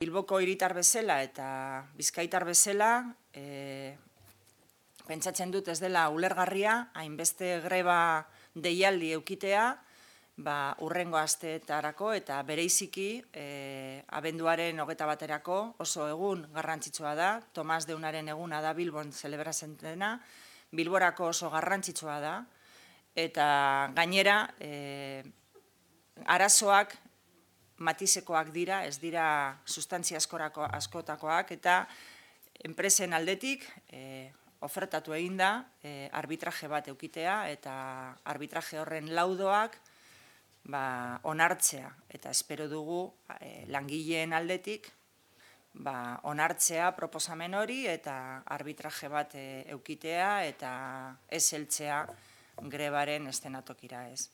Bilboko hiritar bezala eta bizkaitar bezala, pentsatzen dut ez dela ulergarria, hainbeste greba deialdi eukitea, hurrengo asteetarako eta bereiziki abenduaren 21erako oso egun garrantzitsua da, Tomas Deunaren eguna da Bilbon zelebratzen dena, Bilborako oso garrantzitsua da, eta gainera arazoak matizekoak dira, ez dira sustantzia askotakoak, eta enpresen aldetik ofertatu egin da arbitraje bat eukitea, eta arbitraje horren laudoak onartzea, eta espero dugu langileen aldetik onartzea proposamen hori, eta arbitraje bat eukitea, eta ez heltzea grebaren eszenatokira ez.